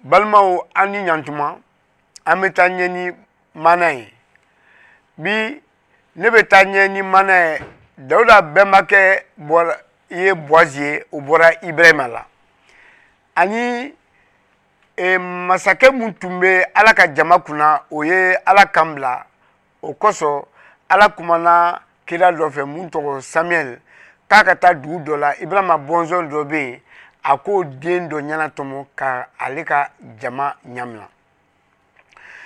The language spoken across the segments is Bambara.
Balimaw, an ni ɲantuma, an bɛ taa ɲɛ ni maana ye. Bi ne bɛ taa ɲɛ ni maana ye. Dawuda bɛnbakɛ bɔra ye Boazi ye, o bɔra Ibrahima la. Ani masakɛ mun tun bɛ Ala ka jama kunna, o ye Ala kan bila. O kosɔn Ala kumana kira dɔ fɛ mun tɔgɔ Samuel, k'a ka taa dugu dɔ la. Ibrahima bɔnsɔn dɔ bɛ yen, a k'o den dɔ ɲɛnatɔmɔ ka ale ka jama ɲamina.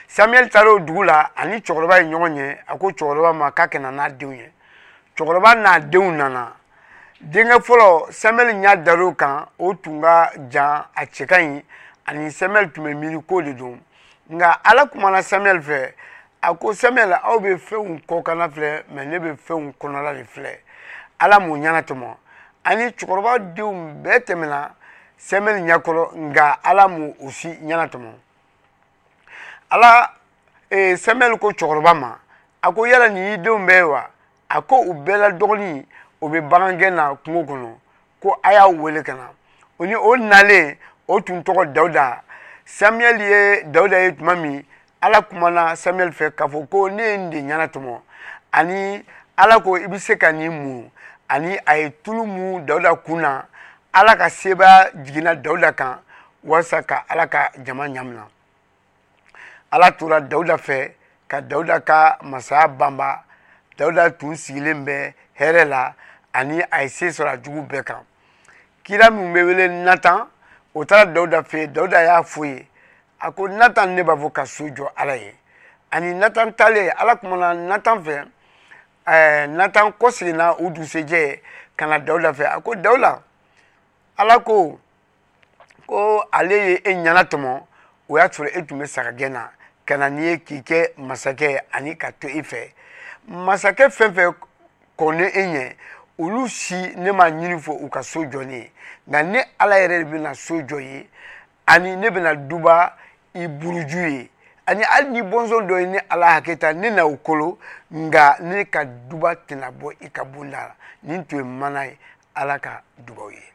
Samuel taara o dugu la, ani cɛkɔrɔba ye ɲɔgɔn ye. A ko cɛkɔrɔba ma k'a ka na n'a denw ye. Cɛkɔrɔba n'a denw nana. Denkɛ fɔlɔ, Samuel ɲɛ dar'o kan, o tun ka jan, a cɛ ka ɲi, ani Samuel tun bɛ miiri k'o de don. Nka Ala kumana Samuel fɛ, a ko Samuel, aw bɛ fɛnw kɔkanna filɛ, mɛ ne bɛ fɛnw kɔnɔla de filɛ. Ala m'o ɲɛnatɔmɔ. Ani cɛkɔrɔba denw bɛɛ tɛmɛna Samuel ɲɛkɔrɔ, nka Ala m'o o si ɲɛnatɔmɔ. Ala Samuel ko cɛkɔrɔba ma, a ko yala nin y'i denw bɛɛ ye wa? A ko u bɛɛ la dɔgɔnin, o bɛ bagangɛn na kungo kɔnɔ, ko a y'a wele ka na. O ni o nalen, o tun tɔgɔ Dawuda. Samuel ye Dawuda ye tuma min, Ala kumana Samuel fɛ k'a fɔ ko ne ye nin de ɲɛnatɔmɔ, ani Ala ko i bɛ se ka nin mun. Ani a ye tulu mun Dawuda kun na. Ala ka sebaaya jiginna Dawuda kan walasa ka Ala ka jama ɲamina. Ala tora Dawuda fɛ ka Dawuda ka masaya banba. Dawuda tun sigilen bɛ hɛrɛ la, ani a ye se sɔrɔ a jugu bɛɛ kan. Kira min bɛ wele Natan, o taara Dawuda fɛ yen. Dawuda y'a fɔ ye, a ko Natan, ne b'a fɔ ka so jɔ Ala ye. Ani Natan taalen, Ala kumana Natan fɛ. Natan kɔseginna o dugusɛjɛ ka na Dawuda fɛ. A ko Dawuda, Ala ko ko ale ye e ɲɛnatɔmɔ, o y'a sɔrɔ e tun bɛ sagagɛn na, ka na n'i ye k'i kɛ masakɛ ani ka to i fɛ. Masakɛ fɛn fɛn kɔnnen e ɲɛ, olu si ne ma ɲini fɔ u ka so jɔ ne ye, nka ne Ala yɛrɛ de bɛna so jɔ ye, ani ne bɛna duba i buruju ye, ani hali ni bɔnsɔn dɔ ye ne Ala hakɛ ta, ne na o kolo, nka ne ka duba tɛna bɔ i ka bonda la. Nin tun ye mana ye. Ala ka dubaw ye.